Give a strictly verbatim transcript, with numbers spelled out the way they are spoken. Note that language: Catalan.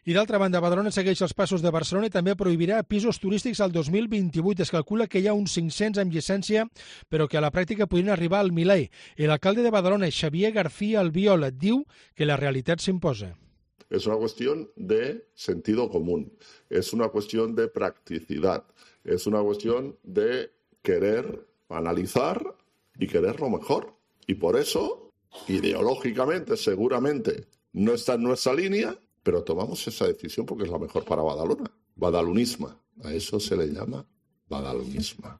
I d'altra banda, Badalona segueix els passos de Barcelona i també prohibirà pisos turístics al dos mil vint-i-vuit. Es calcula que hi ha uns cinc-cents amb llicència, però que a la pràctica podrien arribar al miler. I l'alcalde de Badalona, Xavier García Albiol, diu que la realitat s'imposa. Es una cuestión de sentido común, es una cuestión de practicidad, es una cuestión de querer analizar y querer lo mejor. Y por eso, ideológicamente, seguramente, no está en nuestra línea, pero tomamos esa decisión porque es la mejor para Badalona. Badalonisma. A eso se le llama badalonisma.